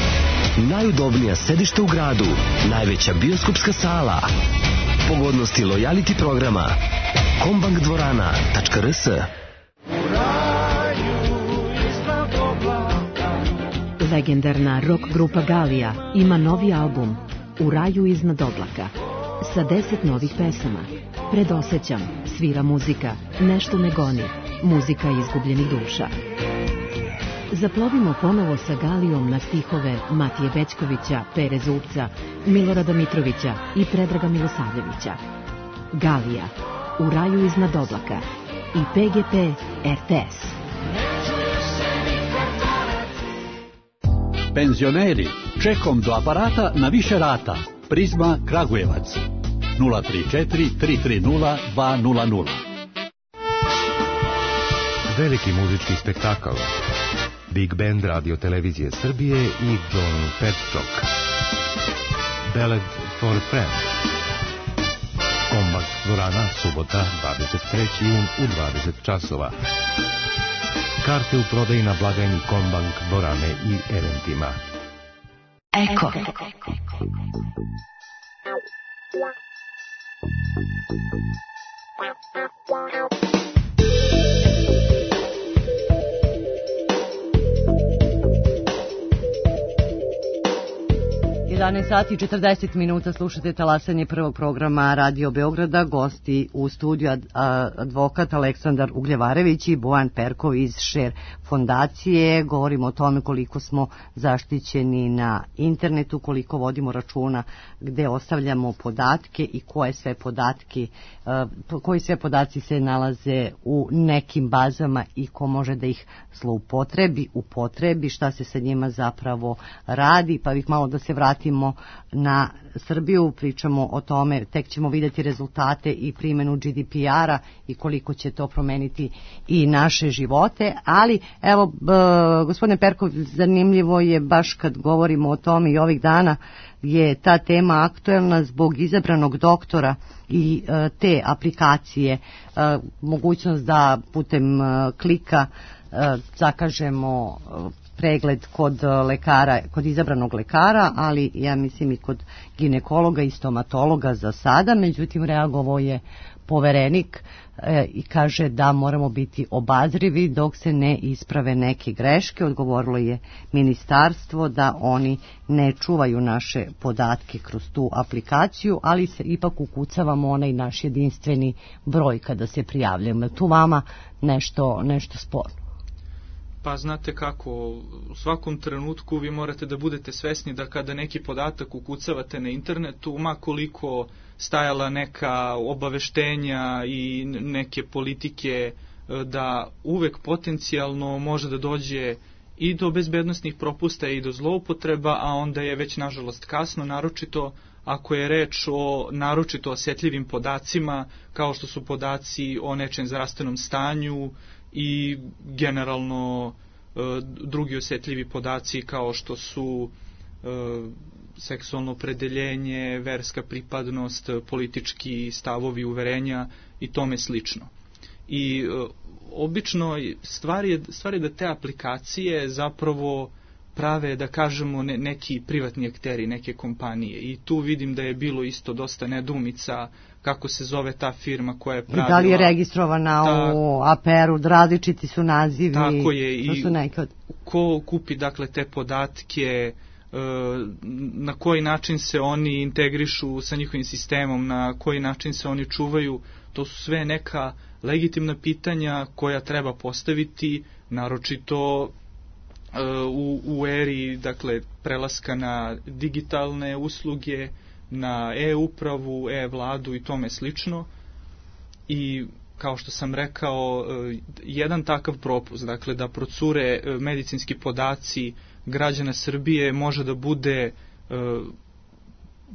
najudobnija sedišta u gradu, najveća bioskopska sala, pogodnosti lojality programa, kombank dvorana tačka er es. Legendarna rock grupa Galija ima novi album U raju iznad oblaka sa deset novih pesama. Predosećam, svira muzika, nešto me goni, muzika izgubljenih duša. Zaplovimo ponovo sa Galijom na stihove Matije Bećkovića, Pere Zubca, Milorada Mitrovića i Predraga Milosavljevića. Galija, U raju iznad oblaka i pe ge pe er te es. Penzioneri, čekom do aparata na više rata. Prizma Kragujevac. nula tri četiri tri tri nula dva nula nula. Veliki muzički spektakl. Big Band Radio Televizije Srbije i John Petchok. Ballad for a Friend. Kombak dvorana, subota, dvadeset treći jun u dvadeset časova. Karte u prodaji na blagajni Kombank dvorane i eventima. Eko. jedanaest sati i četrdeset minuta, slušate talasanje prvog programa Radio Beograda. Gosti u studiju advokat Aleksandar Ugljevarević i Bojan Perkov iz Šer fondacije. Govorimo o tome koliko smo zaštićeni na internetu, koliko vodimo računa gde ostavljamo podatke i koje sve podatke, koji sve podaci se nalaze u nekim bazama i ko može da ih zloupotrebi, upotrebi, šta se sa njima zapravo radi. Pa bih malo da se vratim na Srbiju, pričamo o tome, tek ćemo vidjeti rezultate i primjenu G D P R-a i koliko će to promeniti i naše živote, ali evo, b, gospodine Perkov, zanimljivo je baš kad govorimo o tome i ovih dana je ta tema aktuelna zbog izabranog doktora i e, te aplikacije, e, mogućnost da putem e, klika e, zakažemo e, pregled kod lekara, kod izabranog lekara, ali ja mislim i kod ginekologa i stomatologa za sada. Međutim, reagovao je poverenik e, i kaže da moramo biti obazrivi dok se ne isprave neke greške. Odgovorilo je ministarstvo da oni ne čuvaju naše podatke kroz tu aplikaciju, ali se ipak ukucavamo onaj naš jedinstveni broj kada se prijavljamo. Tu vama nešto, nešto sporno? Pa znate kako, u svakom trenutku vi morate da budete svesni da kada neki podatak ukucavate na internetu, ma koliko stajala neka obaveštenja i neke politike, da uvek potencijalno može da dođe i do bezbednosnih propusta i do zloupotreba, a onda je već nažalost kasno, naročito ako je reč o naročito osjetljivim podacima, kao što su podaci o nečem zdravstvenom stanju i generalno e, drugi osjetljivi podaci kao što su e, seksualno opredeljenje, verska pripadnost, politički stavovi, uverenja i tome slično. I e, obično stvar je, stvar je da te aplikacije zapravo prave, da kažemo, ne, neki privatni akteri, neke kompanije. I tu vidim da je bilo isto dosta nedoumica kako se zove ta firma koja je pravila. I da li je registrovana ta, u A P R-u, različiti su nazivi. Tako je, i su neke od... ko kupi dakle te podatke, na koji način se oni integrišu sa njihovim sistemom, na koji način se oni čuvaju, to su sve neka legitimna pitanja koja treba postaviti, naročito u, u eri, dakle, prelaska na digitalne usluge, na e-upravu, e-vladu i tome slično. I kao što sam rekao, jedan takav propust, dakle da procure medicinski podaci građana Srbije, može da bude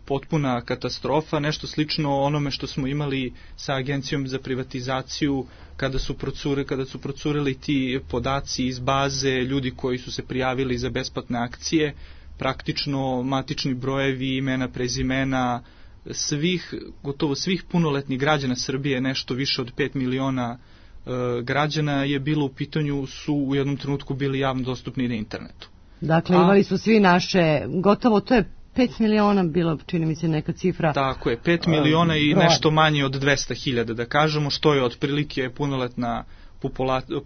potpuna katastrofa, nešto slično onome što smo imali sa Agencijom za privatizaciju kada su procure, kada su procureli ti podaci iz baze ljudi koji su se prijavili za besplatne akcije, praktično matični brojevi, imena, prezimena svih, gotovo svih punoletnih građana Srbije, nešto više od pet miliona e, građana je bilo u pitanju, su u jednom trenutku bili javno dostupni na internetu. Dakle, imali su svi naše, gotovo to je pet miliona bilo, čini mi se neka cifra. Tako je, pet miliona i nešto manje od dvesta hiljada, da kažemo, što je otprilike punoletna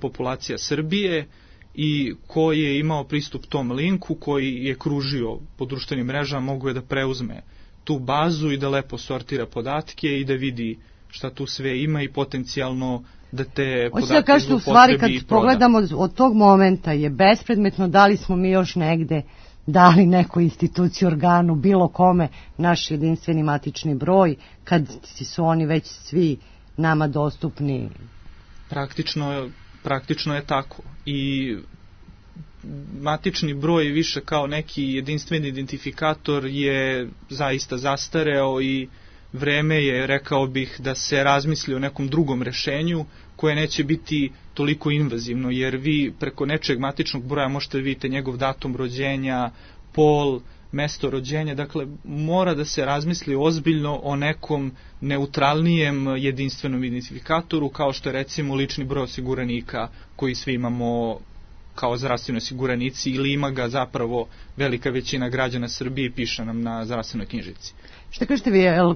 populacija Srbije, i koji je imao pristup tom linku, koji je kružio po društvenim mrežama, mogu je da preuzme tu bazu i da lepo sortira podatke i da vidi šta tu sve ima i potencijalno da te podatke da kažete, u stvari kad pogledamo od tog momenta je bespredmetno da li smo mi još negde dali nekoj instituciji, organu, bilo kome naš jedinstveni matični broj, kad su oni već svi nama dostupni. Praktično, praktično je tako. I matični broj više kao neki jedinstveni identifikator je zaista zastareo i vreme je, rekao bih, da se razmisli o nekom drugom rešenju koje neće biti toliko invazivno, jer vi preko nečeg matičnog broja možete vidjeti njegov datum rođenja, pol, mesto rođenja, dakle mora da se razmisli ozbiljno o nekom neutralnijem jedinstvenom identifikatoru, kao što je recimo lični broj osiguranika koji svi imamo kao zdravstveni osiguranici ili ima ga zapravo velika većina građana Srbije i piše nam na zdravstvenoj knjižici. Šta kažete vi, je li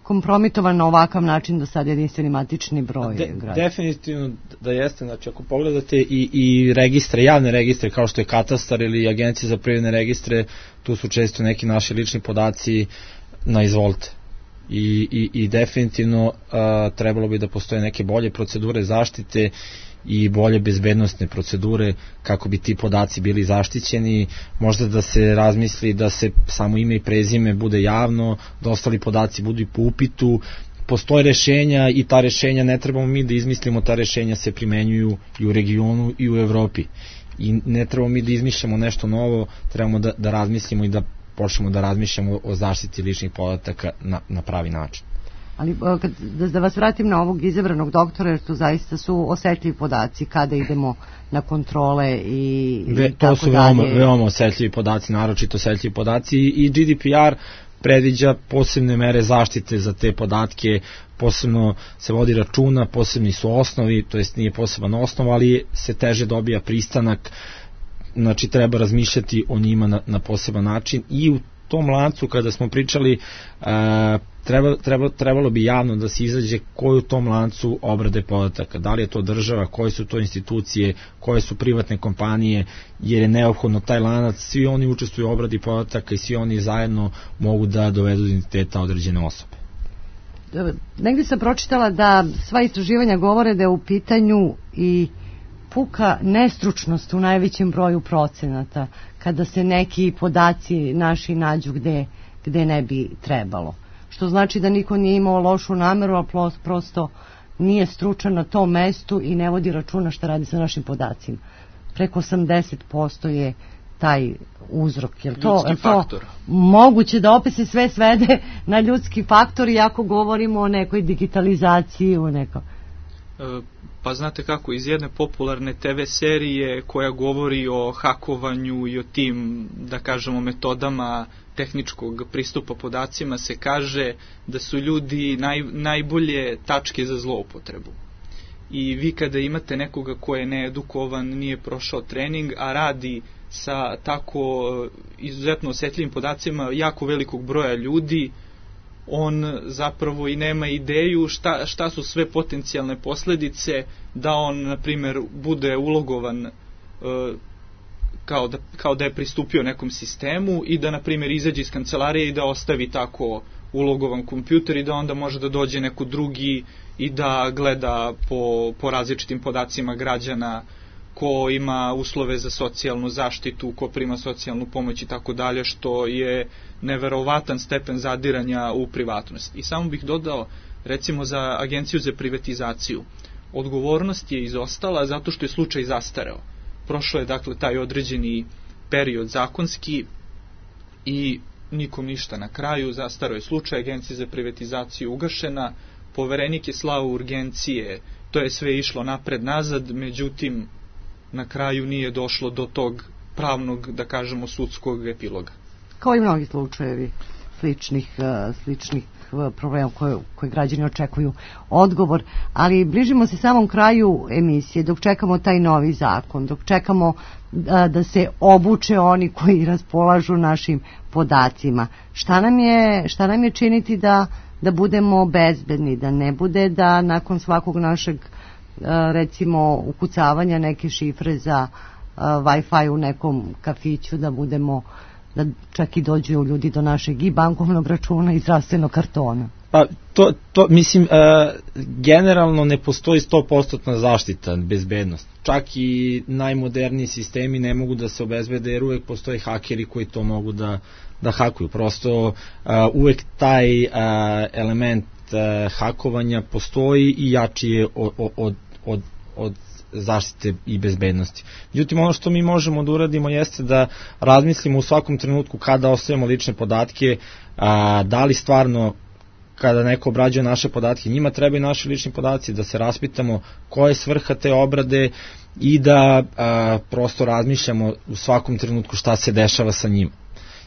kompromitovan na ovakav način do sad jedinstveni matični broj De, građana? Definitivno da jeste, znači ako pogledate i, i registre, javne registre kao što je katastar ili agencije za privredne registre, tu su često neki naši lični podaci na izvolte. I, i, i definitivno a, trebalo bi da postoje neke bolje procedure zaštite i bolje bezbednostne procedure kako bi ti podaci bili zaštićeni, možda da se razmisli da se samo ime i prezime bude javno, da ostali podaci budu i po upitu, postoje rešenja i ta rešenja ne trebamo mi da izmislimo, ta rešenja se primenjuju i u regionu i u Evropi i ne trebamo mi da izmišljamo nešto novo, trebamo da, da razmislimo i da počnemo da razmišljamo o zaštiti ličnih podataka na, na pravi način. Ali kad, da, da vas vratim na ovog izabranog doktora, jer to zaista su osetljivi podaci kada idemo na kontrole i, Ve, i tako to su dalje. veoma, veoma osetljivi podaci, naročito osetljivi podaci i G D P R predviđa posebne mere zaštite za te podatke, posebno se vodi računa, posebni su osnovi, to jest nije poseban osnov, ali se teže dobija pristanak, znači treba razmišljati o njima na, na poseban način i u tom lancu kada smo pričali uh, treba, treba, trebalo bi javno da se izađe koji u tom lancu obrade podataka, da li je to država, koje su to institucije, koje su privatne kompanije, jer je neophodno taj lanac, svi oni učestvuju u obradi podataka i svi oni zajedno mogu da dovedu do identiteta određene osobe. Negdje sam pročitala da sva istraživanja govore da je u pitanju i puka nestručnost u najvećem broju procenata kada se neki podaci naši nađu gde, gde ne bi trebalo. Što znači da niko nije imao lošu nameru, a prosto nije stručan na tom mestu i ne vodi računa šta radi sa našim podacima. Preko osamdeset posto je taj uzrok. Je to, je to moguće da opet se sve svede na ljudski faktor i ako govorimo o nekoj digitalizaciji, o nekom... Pa znate kako, iz jedne popularne te ve serije koja govori o hakovanju i o tim, da kažemo, metodama tehničkog pristupa podacima se kaže da su ljudi naj, najbolje tačke za zloupotrebu. I vi kada imate nekoga ko je needukovan, nije prošao trening, a radi sa tako izuzetno osetljivim podacima jako velikog broja ljudi, on zapravo i nema ideju šta, šta su sve potencijalne posledice da on, na primjer, bude ulogovan e, kao, da, kao da je pristupio nekom sistemu i da, na primjer, izađe iz kancelarije i da ostavi tako ulogovan kompjuter i da onda može da dođe neko drugi i da gleda po, po različitim podacima građana, ko ima uslove za socijalnu zaštitu, ko prima socijalnu pomoć i tako dalje, što je neverovatan stepen zadiranja u privatnost. I samo bih dodao, recimo za Agenciju za privatizaciju, odgovornost je izostala zato što je slučaj zastareo. Prošlo je dakle taj određeni period zakonski i nikom ništa na kraju, zastareo je slučaj, Agencija za privatizaciju ugašena, poverenik je slao urgencije, to je sve išlo napred-nazad, međutim na kraju nije došlo do tog pravnog, da kažemo, sudskog epiloga. Kao i mnogi slučajevi sličnih, sličnih problema koje, koje građani očekuju odgovor, ali bližimo se samom kraju emisije, dok čekamo taj novi zakon, dok čekamo da, da se obuče oni koji raspolažu našim podacima. Šta nam je, šta nam je činiti da, da budemo bezbedni, da ne bude da nakon svakog našeg recimo ukucavanja neke šifre za uh, Wi-Fi u nekom kafiću da budemo, da čak i dođu ljudi do našeg i bankovnog računa i zdravstvenog kartona. Pa to, to mislim, uh, generalno ne postoji sto posto zaštita, bezbednost. Čak i najmoderniji sistemi ne mogu da se obezbede jer uvek postoje hakeri koji to mogu da, da hakuju. Prosto uh, uvek taj uh, element hakovanja postoji i jači je od, od, od, od zaštite i bezbednosti. Međutim, ono što mi možemo da uradimo jeste da razmislimo u svakom trenutku kada ostavljamo lične podatke, a, da li stvarno kada neko obrađuje naše podatke, njima trebaju naši lični podaci, da se raspitamo koja je svrha te obrade i da a, prosto razmišljamo u svakom trenutku šta se dešava sa njima.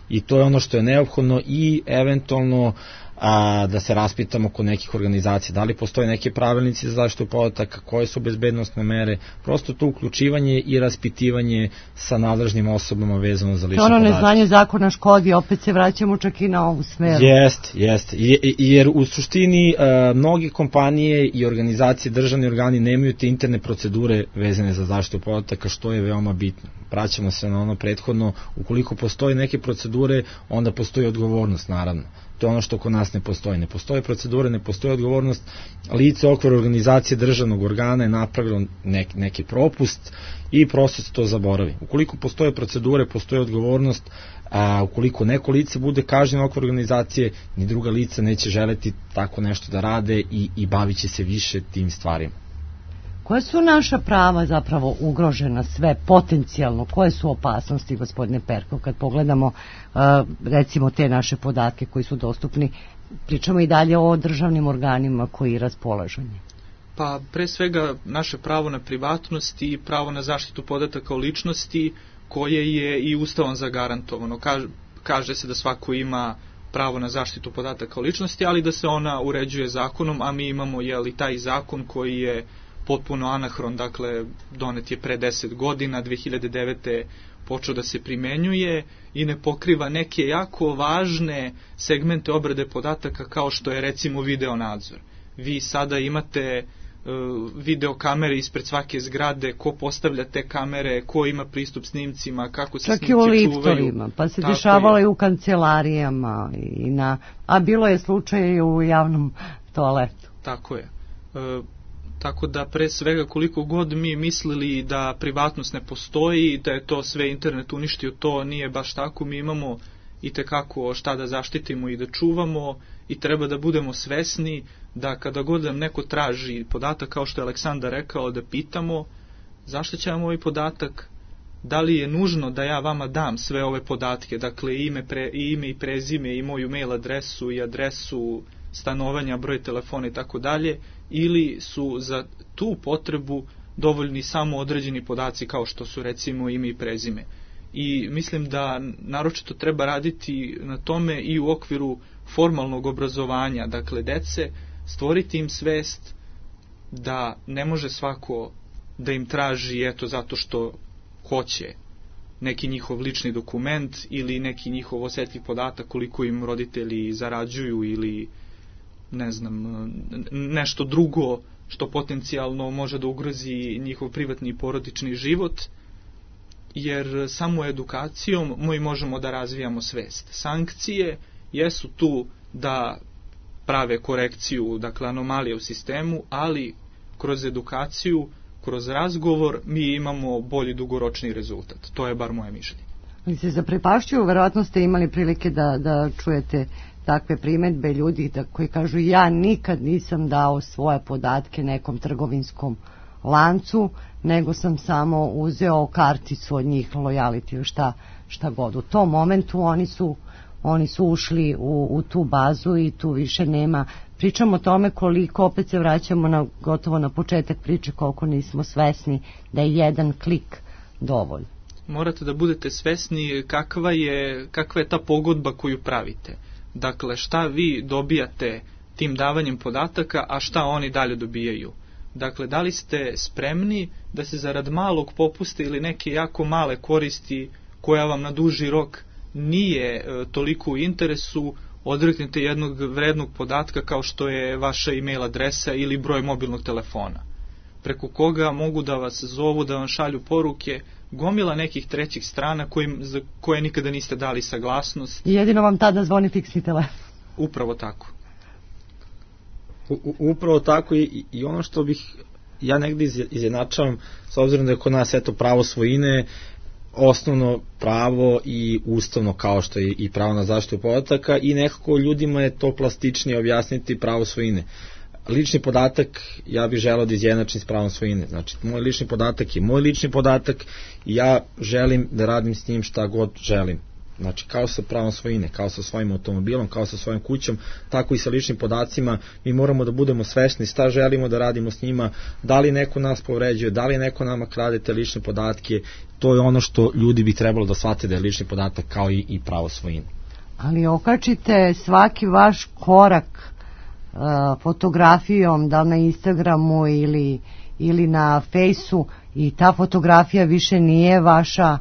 I to je ono što je neophodno i eventualno a, da se raspitamo kod nekih organizacija, da li postoje neke pravilnici za zaštitu podataka, koje su bezbednosne mere, prosto to uključivanje i raspitivanje sa nadležnim osobama vezano za lične ono podatke. neznanje zakona škodi, opet se vraćamo čak i na ovu smeru. Jest, jest, jer u suštini a, mnogi kompanije i organizacije, državni organi nemaju te interne procedure vezane za zaštitu podataka, što je veoma bitno. Vraćamo se na ono prethodno, ukoliko postoje neke procedure, onda postoji odgovornost, naravno. To je ono što kod nas ne postoji. Ne postoje procedure, ne postoji odgovornost. Lice okvir organizacije državnog organa je napravilo nek, neki propust i prosto se to zaboravi. Ukoliko postoje procedure, postoji odgovornost, a ukoliko neko lice bude kažnjeno okvir organizacije, ni druga lica neće želeti tako nešto da rade i, i bavit će se više tim stvarima. Koje su naša prava zapravo ugrožena sve potencijalno? Koje su opasnosti, gospodine Perkov, kad pogledamo uh, recimo te naše podatke koji su dostupni? Pričamo i dalje o državnim organima koji raspolažu njima. Pa pre svega naše pravo na privatnost i pravo na zaštitu podataka o ličnosti koje je i Ustavom zagarantovano. Kaže, kaže se da svako ima pravo na zaštitu podataka o ličnosti, ali da se ona uređuje zakonom, a mi imamo jeli, taj zakon koji je potpuno anahron, dakle donet je pre deset godina, dve hiljade devete počeo da se primenjuje i ne pokriva neke jako važne segmente obrade podataka kao što je recimo video nadzor. Vi sada imate uh, video kamere ispred svake zgrade, ko postavlja te kamere, ko ima pristup snimcima, kako se čak snimci čuvaju. Čak i u čuvaju. liftovima, pa se Tako dešavalo je. i u kancelarijama, i na, a bilo je slučaj i u javnom toaletu. Tako je. Uh, Tako da pre svega koliko god mi mislili da privatnost ne postoji, da je to sve internet uništio, to nije baš tako. Mi imamo i tekako šta da zaštitimo i da čuvamo i treba da budemo svesni da kada god nam neko traži podatak, kao što je Aleksandar rekao, da pitamo zašto će vam ovaj podatak, da li je nužno da ja vama dam sve ove podatke, dakle ime, pre, ime i prezime i moju mail adresu i adresu stanovanja, broj telefona i tako dalje, ili su za tu potrebu dovoljni samo određeni podaci kao što su recimo ime i prezime. I mislim da naročito treba raditi na tome i u okviru formalnog obrazovanja, dakle dece, stvoriti im svest da ne može svako da im traži eto zato što hoće neki njihov lični dokument ili neki njihov osetljiv podatak koliko im roditelji zarađuju ili ne znam, nešto drugo što potencijalno može da ugrozi njihov privatni i porodični život, jer samo edukacijom mi možemo da razvijamo svest. Sankcije jesu tu da prave korekciju, dakle anomalije u sistemu, ali kroz edukaciju, kroz razgovor mi imamo bolji dugoročni rezultat. To je bar moje mišljenje. Ali se zaprepašćuju, verovatno ste imali prilike da, da čujete takve primetbe ljudi da, koji kažu ja nikad nisam dao svoje podatke nekom trgovinskom lancu, nego sam samo uzeo karticu od njih, lojality, šta, šta god. U tom momentu oni su, oni su ušli u, u tu bazu i tu više nema. Pričamo o tome koliko, opet se vraćamo na, gotovo na početak priče, koliko nismo svesni da je jedan klik dovoljno. Morate da budete svesni kakva je, kakva je ta pogodba koju pravite. Dakle, šta vi dobijate tim davanjem podataka, a šta oni dalje dobijaju. Dakle, da li ste spremni da se zarad malog popusta ili neke jako male koristi koja vam na duži rok nije e, toliko u interesu, odreknete jednog vrednog podatka kao što je vaša e-mail adresa ili broj mobilnog telefona, preko koga mogu da vas zovu, da vam šalju poruke, gomila nekih trećih strana kojim, za koje nikada niste dali saglasnost. I jedino vam tada zvoni fiksni telefon. Upravo tako. U, upravo tako i, i ono što bih ja negdje izjednačavam, s obzirom da je kod nas eto pravo svojine osnovno pravo i ustavno kao što je i pravo na zaštitu podataka, i nekako ljudima je to plastičnije objasniti pravo svojine. Lični podatak ja bih želeo da izjednačim s pravom svojine. Znači, moj lični podatak je moj lični podatak i ja želim da radim s njim šta god želim. Znači, kao sa pravom svojine, kao sa svojim automobilom, kao sa svojom kućom, tako i sa ličnim podacima. Mi moramo da budemo svesni šta želimo da radimo s njima, da li neko nas povređuje, da li neko nama krade te lične podatke. To je ono što ljudi bi trebalo da shvate, da je lični podatak kao i, i pravo svojine. ali okačite svaki vaš korak uh, fotografijom, da li na Instagramu ili, ili na Fejsu, i ta fotografija više nije vaša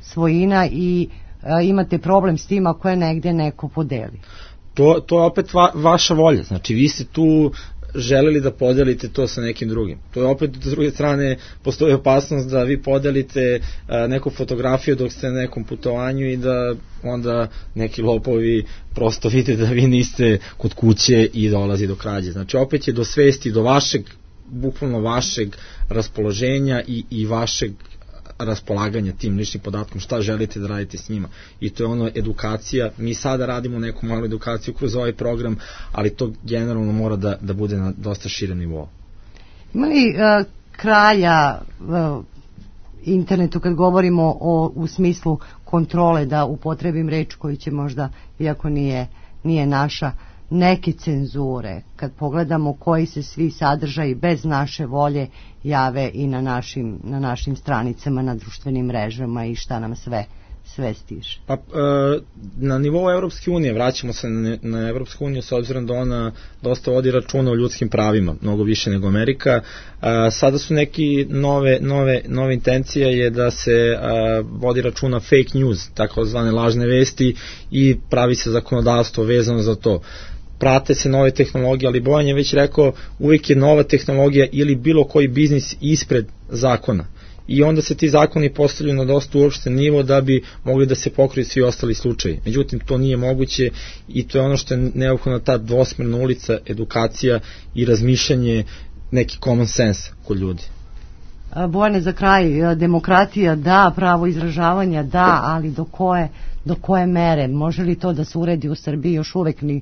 svojina i uh, imate problem s tim ako je negde neko podeli. To, to je opet va, vaša volja, znači vi ste tu želeli da podelite to sa nekim drugim. To je opet, s druge strane, postoji opasnost da vi podelite a, neku fotografiju dok ste na nekom putovanju i da onda neki lopovi prosto vide da vi niste kod kuće i dolazi do krađe. Znači opet je do svesti, do vašeg, bukvalno vašeg raspoloženja i, i vašeg raspolaganja tim ličnim podatkom, šta želite da radite s njima. I to je ono edukacija. Mi sada radimo neku malu edukaciju kroz ovaj program, ali to generalno mora da, da bude na dosta širem nivou. Ima li uh, kraja uh, internetu kad govorimo o, u smislu kontrole, da upotrebim reč koju će možda, iako nije, nije naša, neke cenzure, kad pogledamo koji se svi sadržaji bez naše volje jave i na našim, na našim stranicama, na društvenim mrežama i šta nam sve sve stiže. Pa, e, na nivou Evropske unije, vraćamo se na, na Evropsku uniju s obzirom da ona dosta vodi računa o ljudskim pravima, mnogo više nego Amerika. E, sada su neki nove, nove, nove intencije je da se e, vodi računa fake news, takozvane lažne vesti, i pravi se zakonodavstvo vezano za to. Prate se nove tehnologije, ali Bojan je već rekao, uvijek je nova tehnologija ili bilo koji biznis ispred zakona. I onda se ti zakoni postavljaju na dosta uopšten nivo da bi mogli da se pokriju svi ostali slučaji. Međutim, to nije moguće i to je ono što je neophodna, ta dvosmerna ulica, edukacija i razmišljanje, neki common sense kod ljudi. Bojane, za kraj, demokratija da, pravo izražavanja da, ali do koje, do koje mere? Može li to da se uredi u Srbiji? Još uvek ni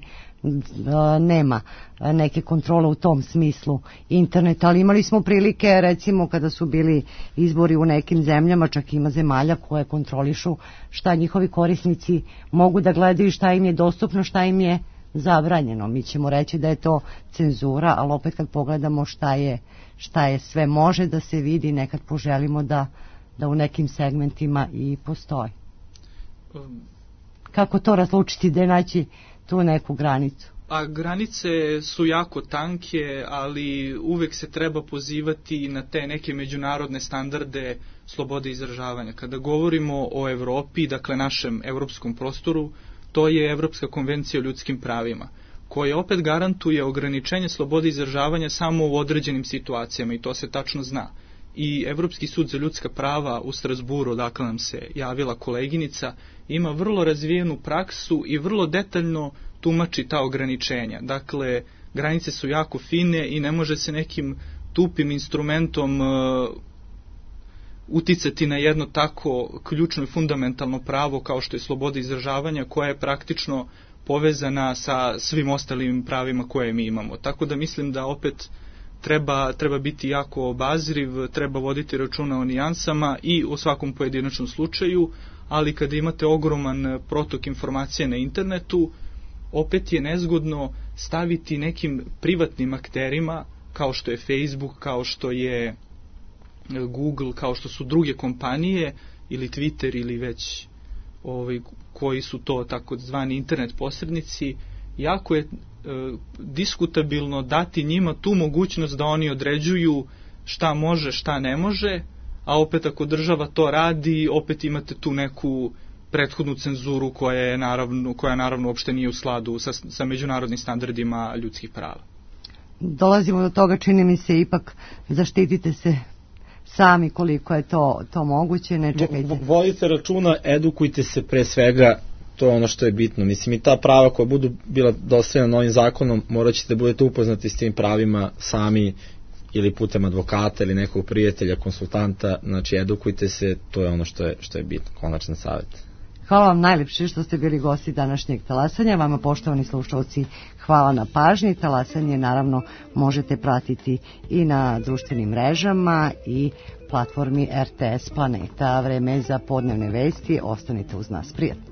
nema neke kontrole u tom smislu interneta, ali imali smo prilike, recimo kada su bili izbori u nekim zemljama, čak ima zemalja koje kontrolišu šta njihovi korisnici mogu da gledaju, šta im je dostupno, šta im je zabranjeno. Mi ćemo reći da je to cenzura, ali opet kad pogledamo šta je, šta je sve može da se vidi, nekad poželimo da, da u nekim segmentima i postoji. Kako to razlučiti, da je naći tu neku granicu? A granice su jako tanke, ali uvek se treba pozivati na te neke međunarodne standarde slobode izražavanja. Kada govorimo o Evropi, dakle našem evropskom prostoru, to je Evropska konvencija o ljudskim pravima, koja opet garantuje ograničenje slobode izražavanja samo u određenim situacijama, i to se tačno zna. I Evropski sud za ljudska prava u Strasburu, odakle nam se javila koleginica, ima vrlo razvijenu praksu i vrlo detaljno tumači ta ograničenja. Dakle, granice su jako fine i ne može se nekim tupim instrumentom uh, uticati na jedno tako ključno i fundamentalno pravo kao što je sloboda izražavanja, koja je praktično povezana sa svim ostalim pravima koje mi imamo. Tako da mislim da opet treba, treba biti jako obazriv, treba voditi računa o nijansama i o svakom pojedinačnom slučaju, ali kada imate ogroman protok informacija na internetu, opet je nezgodno staviti nekim privatnim akterima, kao što je Facebook, kao što je Google, kao što su druge kompanije, ili Twitter, ili već ovaj, koji su to takozvani internet posrednici, jako je e, diskutabilno dati njima tu mogućnost da oni određuju šta može, šta ne može, a opet ako država to radi, opet imate tu neku prethodnu cenzuru koja je naravno, koja naravno uopšte nije u skladu sa, sa međunarodnim standardima ljudskih prava. Dolazimo do toga, čini mi se, ipak zaštitite se sami koliko je to, to moguće, ne čekajte. Vodite računa, edukujte se pre svega, to je ono što je bitno. Mislim, i ta prava koja budu bila dostavljena novim zakonom, morat ćete da budete upoznati s tim pravima sami ili putem advokata ili nekog prijatelja, konsultanta, znači edukujte se, to je ono što je, što je bitno, konačan savjet. Hvala vam najlepše što ste bili gosti današnjeg talasanja. Vama, poštovani slušalci, hvala na pažnji. Talasanje naravno možete pratiti i na društvenim mrežama i platformi R T S Planeta. Vreme je za podnevne vesti. Ostanite uz nas. Prijatno.